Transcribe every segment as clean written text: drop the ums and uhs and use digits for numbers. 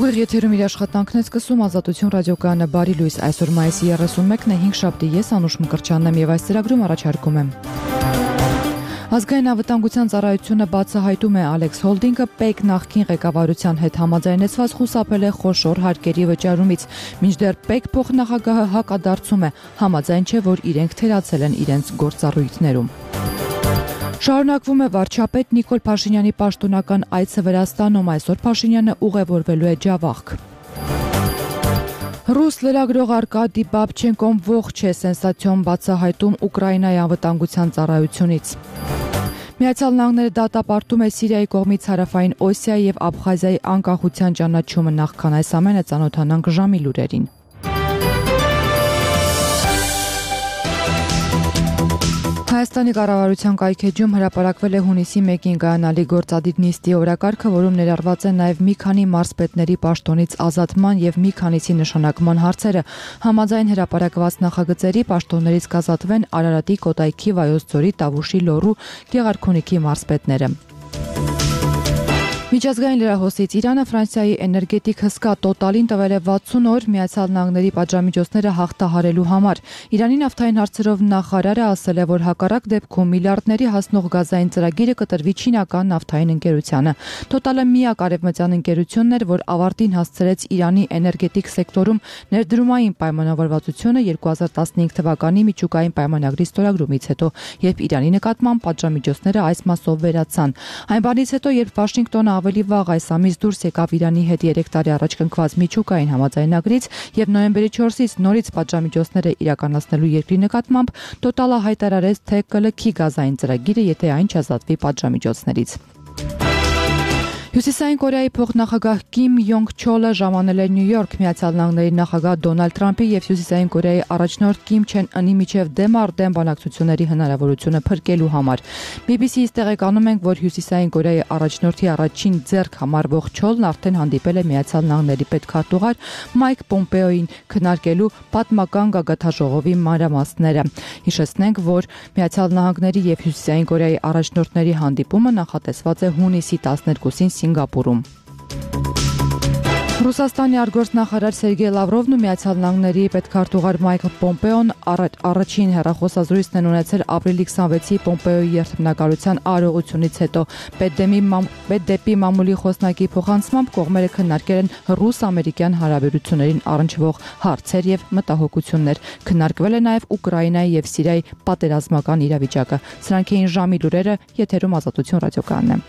Ուղիղ եթերում իր աշխատանքն է սկսում Ազատություն ռադիոկայանը բարի լույս, այսօր մայիսի 31-ն է, 5 շաբթի, ես Անուշ Մկրտչյանն եմ եւ այս ծրագրում առաջարկում եմ. Ազգային անվտանգության ծառայությունը բացահայտում է Ալեքս Հոլդինգը ՊԵԿ նախկին ղեկավարության հետ համաձայնեցված խուսափել է խոշոր հարկերի վճարումից, մինչդեռ ՊԵԿ փոխնախագահը հակադարձում է, համաձայն չէ, որ իրենք թերացել են իրենց գործառույթներում. Շարունակվում է վարչապետ Նիկոլ Փաշինյանի պաշտոնական այցը Վրաստանում, այսօր Փաշինյանը ուղևորվելու է Ջավախք. Ռուս լրագրող Արկադի Բաբչենկոն ողջ է, սենսացիոն բացահայտում Ուկրաինայի անվտանգության ծառայությունից. Միացյալ Նահանգները դատապարտում է Սիրիայի կողմից Հարավային Օսիայի եւ Աբխազիայի անկախության ճանաչումը, նախքան այս ամենը ծանոթանանք ժամի լուրերին. Հայաստանի կառավարության կայքեջում հրապարակվել է հունիսի 1-ին կայանալի գործադիր նիստի օրակարգը, որում ներառված են նաև մի քանի մարզպետների պաշտոնից ազատման եւ մի քանիսի նշանակման հարցերը։ Համաձայն հրապարակված նախագծերի պաշտոններից կազատվեն Արարատի, Կոտայքի, Վայոց ձորի, Տավուշի, Լոռու, Գեղարքունիքի մարզպետները։ Միջազգային լրահոսից Իրանը Ֆրանսիայի էներգետիկ հսկա Տոտալին տվել է 60 օր Միացյալ Նահանգների պատժամիջոցները հաղթահարելու համար։ Իրանի նավթային հարցերով նախարարը ասել է, որ հակառակ դեպքում միլիարդների հասնող գազային ծրագիրը կտրվի չինական նավթային ընկերությանը։ Տոտալը միակ արևմտյան ընկերությունն էր, որ ավարտին հասցրեց Իրանի էներգետիկ սեկտորում ներդրումային պայմանավորվածությունը 2015 թվականի միջուկային պայմանագրի ստորագրումից հետո, երբ Իրանի նկատմամբ պատժամիջոցները այս մասով վերացան։ Այն բանից հետո, երբ Վաշինգտոնը ավելի վաղ այս ամիս դուրս եկավ Իրանի հետ 3 տարի առաջ կնքված միջուկային համաձայնագրից եւ նոյեմբերի 4-ից նորից պատժամիջոցները իրականացնելու երկրի նկատմամբ, Տոտալը հայտարարեց, թե կլքի գազային ծրագիրը, եթե այն չազատվի պատժամիջոցներից։ Հյուսիսային Կորեայի փոխնախագահ Կիմ Յոնգ Չոլը ժամանել է Նյու Յորք Միացյալ Նահանգների նախագահ Դոնալդ Թրամփի եւ Հյուսիսային Կորեայի առաջնորդ Կիմ Չեն Ընի միջև դեմ առ դեմ բանակցությունների հնարավորությունը փրկելու համար։ BBC-ից տեղեկանում ենք, որ Հյուսիսային Կորեայի առաջնորդի առաջին ձեռք համարվող Չոլն արդեն հանդիպել է Միացյալ Նահանգների պետքարտուղար Մայք Պոմպեոին քննարկելու պատմական գագաթաժողովի մանրամասները։ Հիշեցնենք, որ Միացյալ Նահանգների եւ Հյուսիսային Կորեայի առաջնորդների հանդիպումը նախատեսված է հունիսի 12-ին Սինգապուրում։ Ռուսաստանի արտգործնախարար Սերգեյ Լավրովն ու Միացյալ Նահանգների պետքարտուղար Մայք Պոմպեոն առաջին հեռախոսազրույցն են ունեցել ապրիլի 26-ի Պոմպեոյի երթմնակալության արարողությունից հետո։ Պետդեպի մամուլի խոսնակի փոխանցմամբ կողմերը քննարկել են ռուս-ամերիկյան հարաբերություններին առնչվող հարցեր եւ մտահոգություններ։ Քննարկվել է նաեւ Ուկրաինայի եւ Սիրիայի պատերազմական իրավիճակը։ Սրանք էին ժամի լուրերը, եթերում Ազատություն ռադիոկայանն է։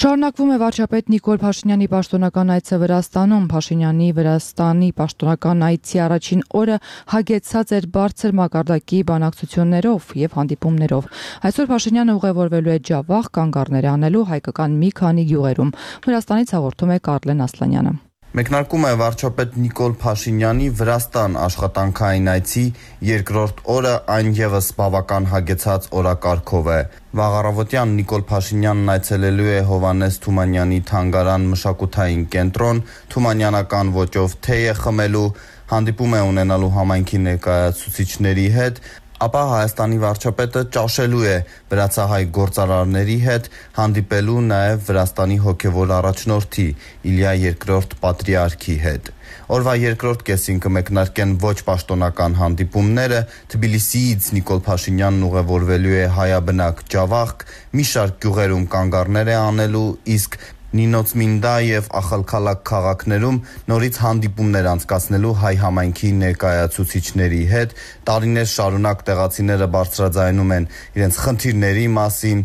Շարունակվում է վարչապետ Նիկոլ Փաշինյանի պաշտոնական այցը Վրաստանում։ Փաշինյանի Վրաստանի պաշտոնական այցի առաջին օրը հագեցած էր բարձր մակարդակի բանակցություններով եւ հանդիպումներով։ Այսօր Փաշինյանը ուղևորվելու է Ջավախ կանգառներ անելու հայկական մի քանի գյուղերում։ Վրաստանից հաղորդում է Կարլեն Ասլանյանը։ Մեկնարկում է վարչապետ Նիկոլ Փաշինյանի Վրաստան աշխատանքային այցի երկրորդ օրը, այն եւս բավական հագեցած օրակարգով է։ Վաղ առավոտյան Նիկոլ Փաշինյանն այցելելու է Հովհաննես Թումանյանի թանգարան մշակութային կենտրոն, թումանյանական ոճով թեյ է խմելու, հանդիպում է ունենալու համայնքի ներկայացուցիչների հետ, ապա Հայաստանի վարչապետը ճաշելու է վրացահայ գործարարների հետ, հանդիպելու նաև Վրաստանի հոգևոր առաջնորդի Իլիա II պատրիարքի հետ։ Օրվա երկրորդ կեսին կմեկնարկեն ոչ պաշտոնական հանդիպումները, Թբիլիսիից Նիկոլ Փաշինյանն ուղևորվելու է հայաբնակ Ջավախք, մի շարք գյուղերում կանգառներ է անելու, իսկ Նինոցմինդա եւ Ախալքալակ քաղաքներում նորից հանդիպումներ անցկացնելու հայ համայնքի ներկայացուցիչների հետ, տարիներ շարունակ տեղացիները բարձրաձայնում են իրենց խնդիրների մասին,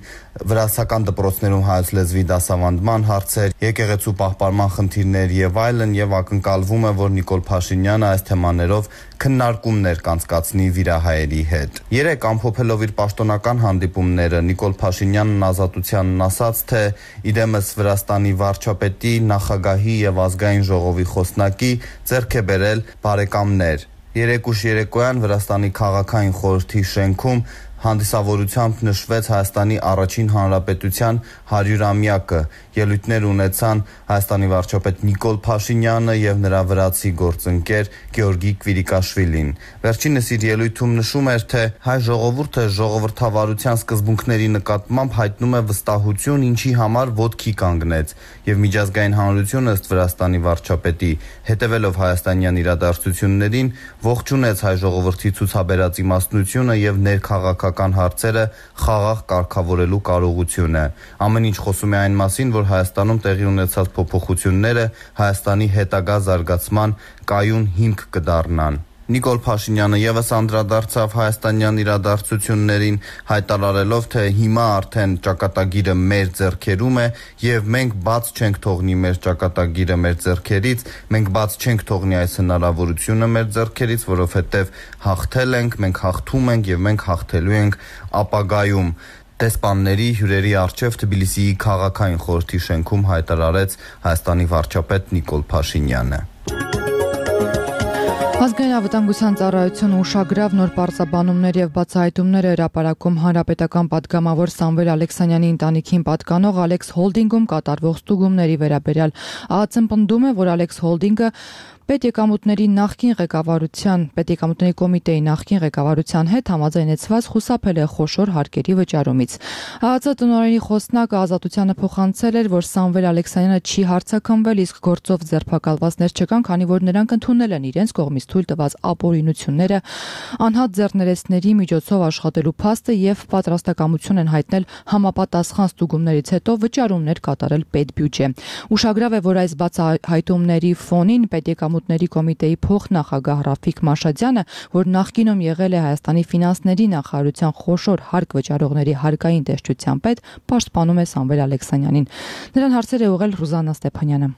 վրացական դպրոցներում հայոց լեզվի դասավանդման հարցեր, եկեղեցու պահպանման խնդիրներ եւ այլն, եւ ակնկալվում է, որ Նիկոլ Փաշինյանը այս թեմաներով քննարկումներ կանցկացնի վիրահայերի հետ։ Երեք ամփոփելով իր պաշտոնական հանդիպումները, Նիկոլ Փաշինյանն Ազատությանն ասաց, թե իդեմս Վրաստանի վարչապետի, նախագահի եւ ազգային ժողովի խոսնակի ձեռք է բերել բարեկամներ։ Երեկոյան Վրաստանի քաղաքային խորհրդի շենքում Հանդիսավորությամբ նշվեց Հայաստանի առաջին հանրապետության 100-ամյակը, ելույթներ ունեցան Հայաստանի վարչապետ Նիկոլ Փաշինյանը եւ նրա վրացի գործընկեր Գեորգի Կվիրիկաշվիլին։ Վերջինս իր ելույթում նշում էր, թե հայ ժողովուրդը ժողովրդավարության սկզբունքների նկատմամբ հայտնում է վստահություն, ինչի համար ոտքի կանգնեց, եւ միջազգային հանրությունը ըստ Վրաստանի վարչապետի, հետևելով հայաստանյան իրադարձություններին, ողջունեց հայ ժողովրդի ցուցաբերած իմաստնությունը եւ ներքաղաքական հարցերը խաղաղ կարգավորելու կարողությունը։ Ամեն ինչ խոսում է այն մասին, որ Հայաստանում տեղի ունեցած փոփոխությունները Հայաստանի հետագա զարգացման կայուն հիմք կդառնան։ Նիկոլ Փաշինյանը եւս անդրադարձավ հայաստանյան իրադարձություններին, հայտարարելով, թե հիմա արդեն ճակատագիրը մեր ձեռքերում է եւ մենք բաց չենք թողնի մեր ճակատագիրը մեր ձեռքերից, մենք բաց չենք թողնի այս հնարավորությունը մեր ձեռքերից, որովհետեւ հաղթել ենք, մենք հաղթում ենք եւ մենք հաղթելու ենք ապագայում։ Դեսպանների հյուրերի առջև Թբիլիսիի քաղաքային խորհրդի շենքում հայտարարեց Հայաստանի վարչապետ Նիկոլ Փաշինյանը։ Ազգային անվտանգության ծառայությունը ուշագրավ նոր պարզաբանումներ եւ բացահայտումներ է հրապարակում հանրապետական պատգամավոր Սամվել Ալեքսանյանի ընտանիքին պատկանող Ալեքս Հոլդինգում կատարվող ստուգումների վերաբերյալ։ ԱԱՑ-ն պնդում է, որ Ալեքս Հոլդինգը պետեկամուտների կոմիտեի նախկին ղեկավարության հետ համաձայնեցված խուսափել է խոշոր հարկերի վճարումից։ ԱԱՑ տնօրենի խոսնակը Ազատությանը փոխանցել էր, որ Սամվել Ալեքսանյանը չի հարձակումվել, իսկ գործով ձերբակալվածներ չկան, քանի որ նրանք ընդունել են իրենց կողմից թույլ տված ապօրինությունները, անհատ ձեռներեցների միջոցով աշխատելու փաստը եւ պատրաստակամություն են հայտնել համապատասխան ստուգումներից հետո վճարումներ կատարել պետբյուջե։ Ուշագրավ է, որ այս բացահայտումների ֆոնին պետեկամուտների կոմիտեի փոխնախագահ Ռաֆիկ Մաշադյանը, որ նախկինում եղել է Հայաստանի ֆինանսների նախարարության խոշոր հարկ վճարողների հարկային տեսչության պետ, պաշտպանում է Սամվել Ալեքսանյանին։ Նրան հարցեր է ուղղել Ռուզաննա Ստեփանյանը։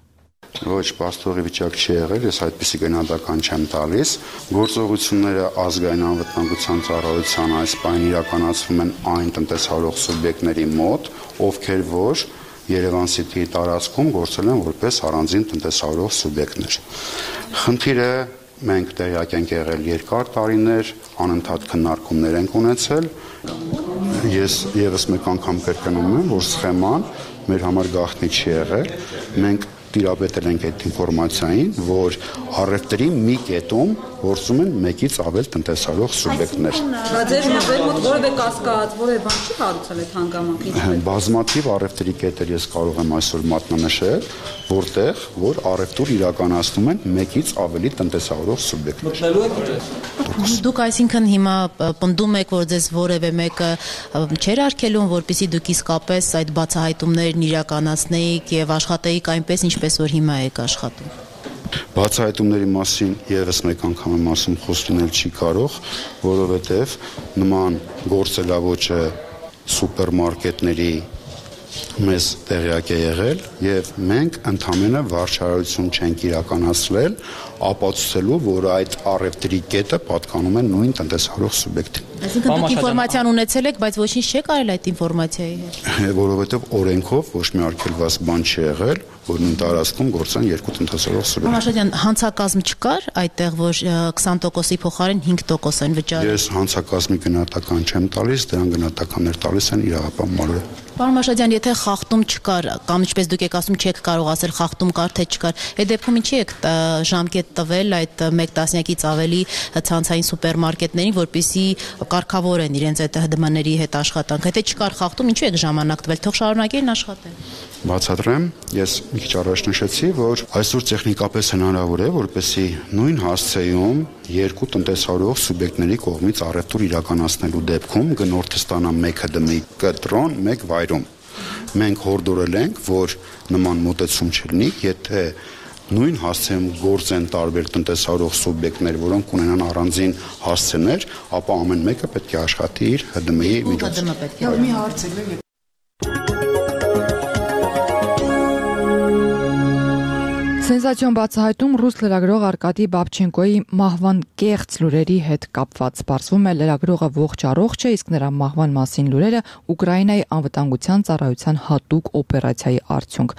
Ոչ, պաստորի վիճակ չի եղել, ես այդպիսի գնահատական չեմ տալիս։ Գործողությունները ազգային անվտանգության ծառայության այս բանը իրականացվում են այն տնտեսահարող սուբյեկտների մոտ, ովքեր որ Երևան City-ի տարածքում գործել են որպես առանձին տնտեսահարող սուբյեկտներ։ Խնդիրը մենք տեղյակ ենք եղել երկար տարիներ, անընդհատ քննարկումներ ենք ունեցել։ Ես եւս մեկ անգամ կրկնում եմ, որ սխեման մեր համար գաղտնի չի եղել։ Մենք տիրապետել ենք այդ ինֆորմացիային, որ առևտրի մի կետում գործում են մեկից ավել տնտեսահարող սուբյեկտներ։ Ձեր մոտ որևէ կասկած, որևէ բան չի հարուցել այդ հանգամանքից։ Բազմաթիվ առևտրի կետեր ես կարող եմ այսօր մատնանշել, որտեղ որ առևտուր իրականացնում են մեկից ավելի տնտեսահարող սուբյեկտներ։ Դուք այսինքն հիմա պնդում եք, որ ձեզ որևէ մեկը չեր արգելում, որպեսզի դուք իսկապես այդ բացահայտումներն իրականացնեիք եւ աշխատեիք այնպես, ինչպես որ հիմա եք աշխատում։ Բացահայտումների մասին եւս մեկ անգամ եմ ասում, խոստումել չի կարող, որովհետեւ նման գործելավոճը սուպերմարկետների մեզ տեղյակ է եղել եւ մենք ընդհանրապես վարչարություն չենք իրականացրել ապացուցելու, որ այդ առևտրի կետը պատկանում է նույն տնտեսահարող սուբյեկտին։ Այսինքն դուք ինֆորմացիան ունեցել եք, բայց ոչինչ չեք արել այդ ինֆորմացիայի հետ։ Որովհետեւ օրենքով ոչ մի արգելված բան չի եղել, որ նույն տարածքում գործեն երկու տնտեսահարող սուբյեկտներ։ Մաշադյան, հանցակազմ չկար այդտեղ, որ 20%-ի փոխարեն 5% են վճարել։ Ես հանցակազմի գնահատական չեմ տալիս, դրան գնահատականներ տալիս են իրավապահ մարմինը։ Պարոն Մաշադյան, եթե խախտում չկար, կամ ինչպես դուք եք ասում, չեք կարող ասել խախտում կար թե չկար, այդ դեպքում ինչի եք ժամկետ տվել այդ 1 տասնյակից ավելի ցանցային սուպերմարկետներին, որպեսզի կարգավորեն իրենց այդ ՀԴՄ-ների հետ աշխատանք։ Եթե չկար խախտում, ինչու եք ժամանակ տվել, թող շարունակեն աշխատել։ Բացատրեմ, ես մի քիչ առաջ նշեցի, որ այսօր տեխնիկապես հնարավոր է, որպեսզի նույն հասցեում երկու տնտեսահարող սուբյեկտների կողմից առևտուր իրականացնելու դեպքում գնորդը ստանա 1 ՀԴՄ-ի կտրոն, 1 վայրում։ Մենք հորդորել ենք, որ նման մոտեցում չլինի, եթե նույն հասցեում գործեն տարբեր տնտեսահարող սուբյեկտներ, որոնք ունենան առանձին հասցեներ, ապա ամեն մեկը պետք է աշխատի իր ՀԴՄ-ի միջոցով։ Մի հարց է։ Սենսացիոն բացահայտում ռուս լրագրող Արկադի Բաբչենկոյի մահվան կեղծ լուրերի հետ կապված։ Պարզվում է լրագրողը ողջ առողջ է, իսկ նրա մահվան մասին լուրերը Ուկրաինայի անվտանգության ծառայության հատուկ օպերացիայի արդյունք։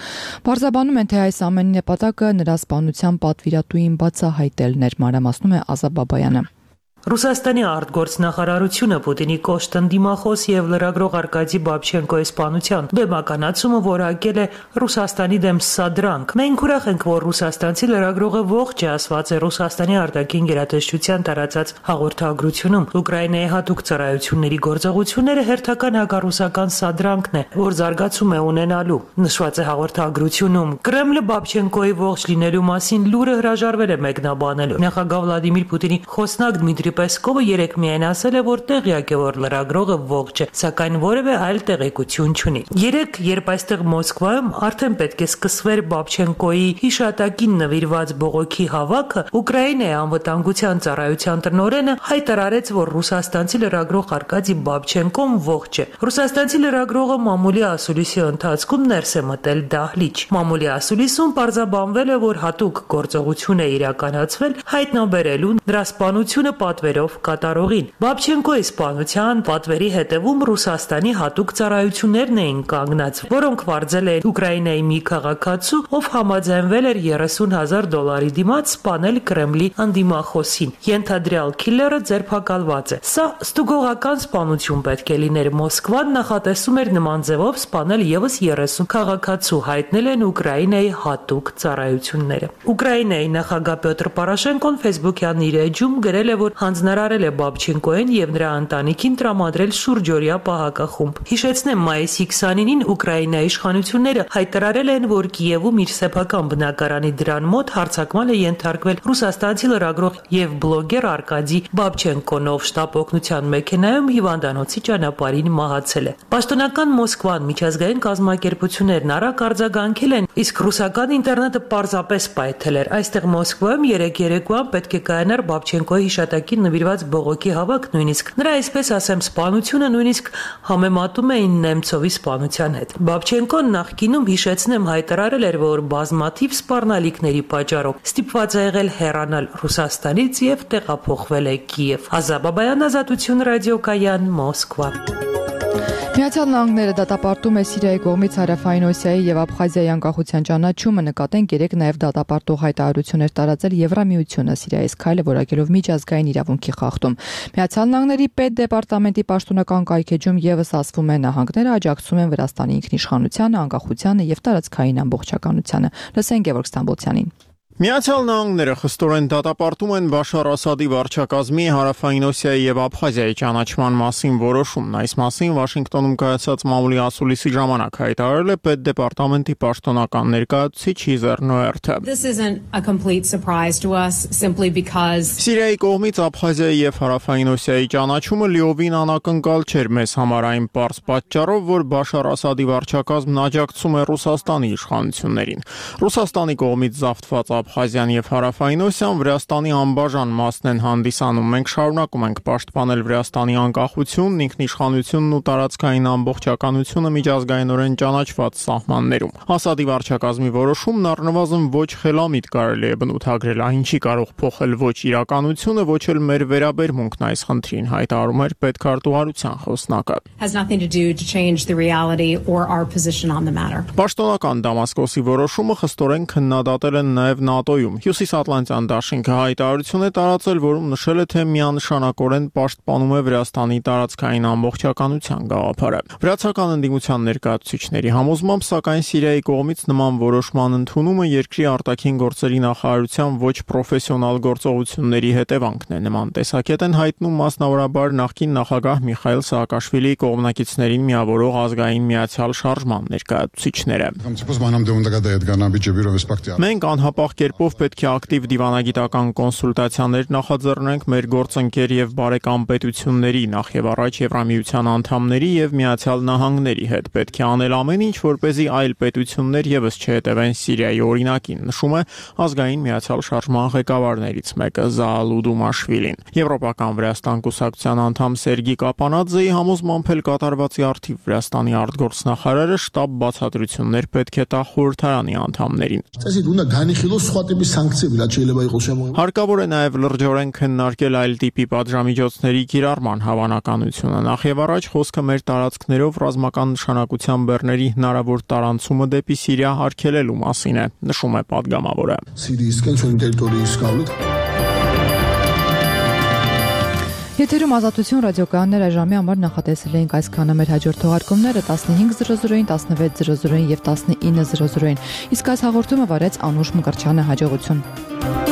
Պարզաբանում են, թե այս ամենի նպատակը նրա սպանության պատվիրատուին բացահայտելն էր, մանրամասնում է Ազա Բաբայանը։ Ռուսաստանի արտգործնախարարությունը Պուտինի կոշտ ընդդիմախոս եւ լրագրող Արկադի Բաբչենկոյի սպանության բեմականացումը որակել է Ռուսաստանի դեմ սադրանք։ Մենք ուրախ ենք, որ ռուսաստանցի լրագրողը ողջ է, ասված է Ռուսաստանի արտաքին գերատեսչության տարածած հաղորդագրությունում։ Ուկրաինայի հատուկ ծառայությունների գործողությունները հերթական հակառուսական սադրանքն է, որ զարգացում է ունենալու։ Նշված է հաղորդագրությունում։ Կրեմլը Բաբչենկոյի ողջ լինելու մասին լուրը հրաժարվել է մեկնաբանելու։ Նախագահ Վլադիմիր Պուտինի խոսնակ Դմիտրի Պեսկովը երեկ միայն ասել է, որ տեղյակ է, որ լրագրողը ողջ է, սակայն որևէ այլ տեղեկություն չունի։ Երեկ, երբ այստեղ Մոսկվայում արդեն պետք է սկսվեր Բաբչենկոյի հիշատակին նվիրված բողոքի հավաքը, Ուկրաինայի անվտանգության ծառայության տնօրենը հայտարարեց, որ ռուսաստանցի լրագրող Արկադի Բաբչենկոն ողջ է։ Ռուսաստանցի լրագրողը մամուլի ասուլիսի ընթացքում ներս է մտել դահլիճ։ Մամուլի ասուլիսում պարզաբանվել է, որ հատուկ գործողություն է իրականացվել հայտնաբերելու նրա սպանությունը պատվերով կատարողին։ Բաբչենկոյի սպանության պատվերի հետևում Ռուսաստանի հատուկ ծառայություններն էին կանգնած, որոնք վարձել էին Ուկրաինայի մի քաղաքացու, ով համաձայնվել էր $30,000 դիմաց սպանել Կրեմլի ընդդիմախոսին։ Ենթադրյալ քիլլերը ձերբակալված է։ Սա ստուգողական սպանություն պետք է լիներ։ Մոսկվան նախատեսում էր նման ձևով սպանել եւս 30 քաղաքացու, հայտնել են Ուկրաինայի հատուկ ծառայությունները։ Ուկրաինայի նախագահ Պյոտր Պորոշենկոն Facebook-յան իր էջում գրել է, որ հանձնարարել է Բաբչենկոյին եւ նրա ընտանիքին տրամադրել շուրջօրյա պահակախումբ։ Հիշեցնեմ, մայիսի 29-ին Ուկրաինայի իշխանությունները հայտարարել են, որ Կիևում իր սեփական բնակարանի դրան մոտ հարձակման է ենթարկվել ռուսաստանցի լրագրող եւ բլոգեր Արկադի Բաբչենկոն, ով շտապ օգնության մեքենայում հիվանդանոցի ճանապարհին մահացել է։ Պաշտոնական Մոսկվան, միջազգային կազմակերպություններն արագ արձագանքել են, իսկ ռուսական ինտերնետը պարզապես պայթել էր։ Այստեղ Մոսկվայում երեկ երեկոյան պետք է կայանար Բաբչենկոյի հիշատակին նվիրված բողոքի հավաք, նույնիսկ նրա, այսպես ասեմ, սպանությունը նույնիսկ համեմատում էին Նեմցովի սպանության հետ։ Բաբչենկոն նախկինում, հիշեցնեմ, հայտարարել էր, որ բազմաթիվ սպառնալիքների պատճառով ստիպված է եղել հեռանալ Ռուսաստանից եւ տեղափոխվել է Կիև։ Ազա Բաբայան, Ազատություն ռադիոկայան, Մոսկվա։ Միացյալ Նահանգները դատապարտում է Սիրիայի կողմից Հարավային Օսիայի եւ Աբխազիայի անկախության ճանաչումը, նկատենք երեք նաեւ դատապարտող հայտարարություններ տարածել Եվրամիությունը Սիրիայից քայլը որակելով միջազգային իրավունքի խախտում։ Միացյալ Նահանգների պետդեպարտամենտի պաշտոնական կայքեջում եւս ասվում է նահանգները աջակցում են Վրաստանի ինքնիշխանությանը, անկախությանը եւ տարածքային ամբողջականությանը։ Լսենք Գևորգ Ստամբոլցյանին։ Միացյալ Նահանգները խստորեն դատապարտում են Բաշար Ասադի վարչակազմի Հարավային Օսիայի եւ Աբխազիայի ճանաչման մասին որոշումն։ Այս մասին Վաշինգտոնում կայացած մամուլի ասուլիսի ժամանակ հայտարարել է պետդեպարտամենտի պաշտոնական ներկայացուցիչ Հիզեր Նոերթը։ Սիրիայի կողմից Աբխազիայի եւ Հարավային Օսիայի ճանաչումը լիովին անակնկալ չէր մեզ համար այն պարզ պատճառով, որ Բաշար Ասադի վարչակազմն աջակցում է Ռուսաստանի իշխանություններին։ Ռուսաստանի կողմից զավթված Աբխազիան եւ Հարավային Օսիան Վրաստանի անբաժան մասն են հանդիսանում։ Մենք շարունակում ենք պաշտպանել Վրաստանի անկախությունն, ինքնիշխանությունն ու տարածքային ամբողջականությունը միջազգայինորեն ճանաչված սահմաններում։ Ասադի վարչակազմի որոշումն առնվազն ոչ խելամիտ կարելի է բնութագրել, այն չի կարող փոխել ոչ իրականությունը, ոչ էլ մեր վերաբերմունքն այս խնդրին, հայտարարում էր պետքարտուղարության խոսնակը։ Պաշտոնական Դամասկոսի որոշումը խստորեն քննադատել են նաեւ ՆԱՏՕ-ում։ Հյուսիսատլանտյան դաշինքը հայտարարություն է տարածել, որում նշել է, թե միանշանակորեն պաշտպանում է Վրաստանի տարածքային ամբողջականության գաղափարը։ Վրացական ընդդիմության ներկայացուցիչների համոզմամբ, սակայն Սիրիայի կողմից նման որոշման ընդունումը երկրի արտաքին գործերի նախարարության ոչ պրոֆեսիոնալ գործողությունների հետևանքն է։ Նման տեսակետ են հայտնում մասնավորաբար նախկին նախագահ Միխայիլ Սաակաշվիլիի կողմնակիցներին միավորող ազգային միացյալ շարժման ներկայացուցիչները։ Մենք անհապաղ կերպով պետք է ակտիվ դիվանագիտական կոնսուլտացիաներ նախաձեռնենք մեր գործընկեր եւ բարեկամ պետությունների, նախ եւ առաջ Եվրամիության անդամների եւ Միացյալ Նահանգների հետ։ Պետք է անել ամեն ինչ, որպեսզի այլ պետություններ եւս չհետևեն Սիրիայի օրինակին, նշում է ազգային միացյալ շարժման ղեկավարներից մեկը Զաալու Դումաշվիլին։ Եվրոպական Վրաստան կուսակցության անդամ Սերգի Կապանաձեի համոզմամբ էլ կատարվածի արդիվ Վրաստանի արտգործնախարարը շտապ բացատրություններ պետք է տա խորհրդարանի անդամներին։ Հարկավոր է նաև լրջորեն քննարկել այլ տիպի պատժամիջոցների կիրառման հավանականությունը։ Նախ եւ առաջ խոսքը մեր տարածքներով ռազմական նշանակության բեռների հնարավոր տարանցումը դեպի Սիրիա արգելելու մասին է, նշում է падգամավորը։ Եթերում Ազատություն ռադիոկայաններ այժմի համար նախատեսել էինք այսքանը, մեր հաջորդ թողարկումները 15:00-ին, 16:00-ին եւ 19:00-ին։ Իսկ այս հաղորդումը վարեց Անուշ Մկրտչյանը, հաջողություն։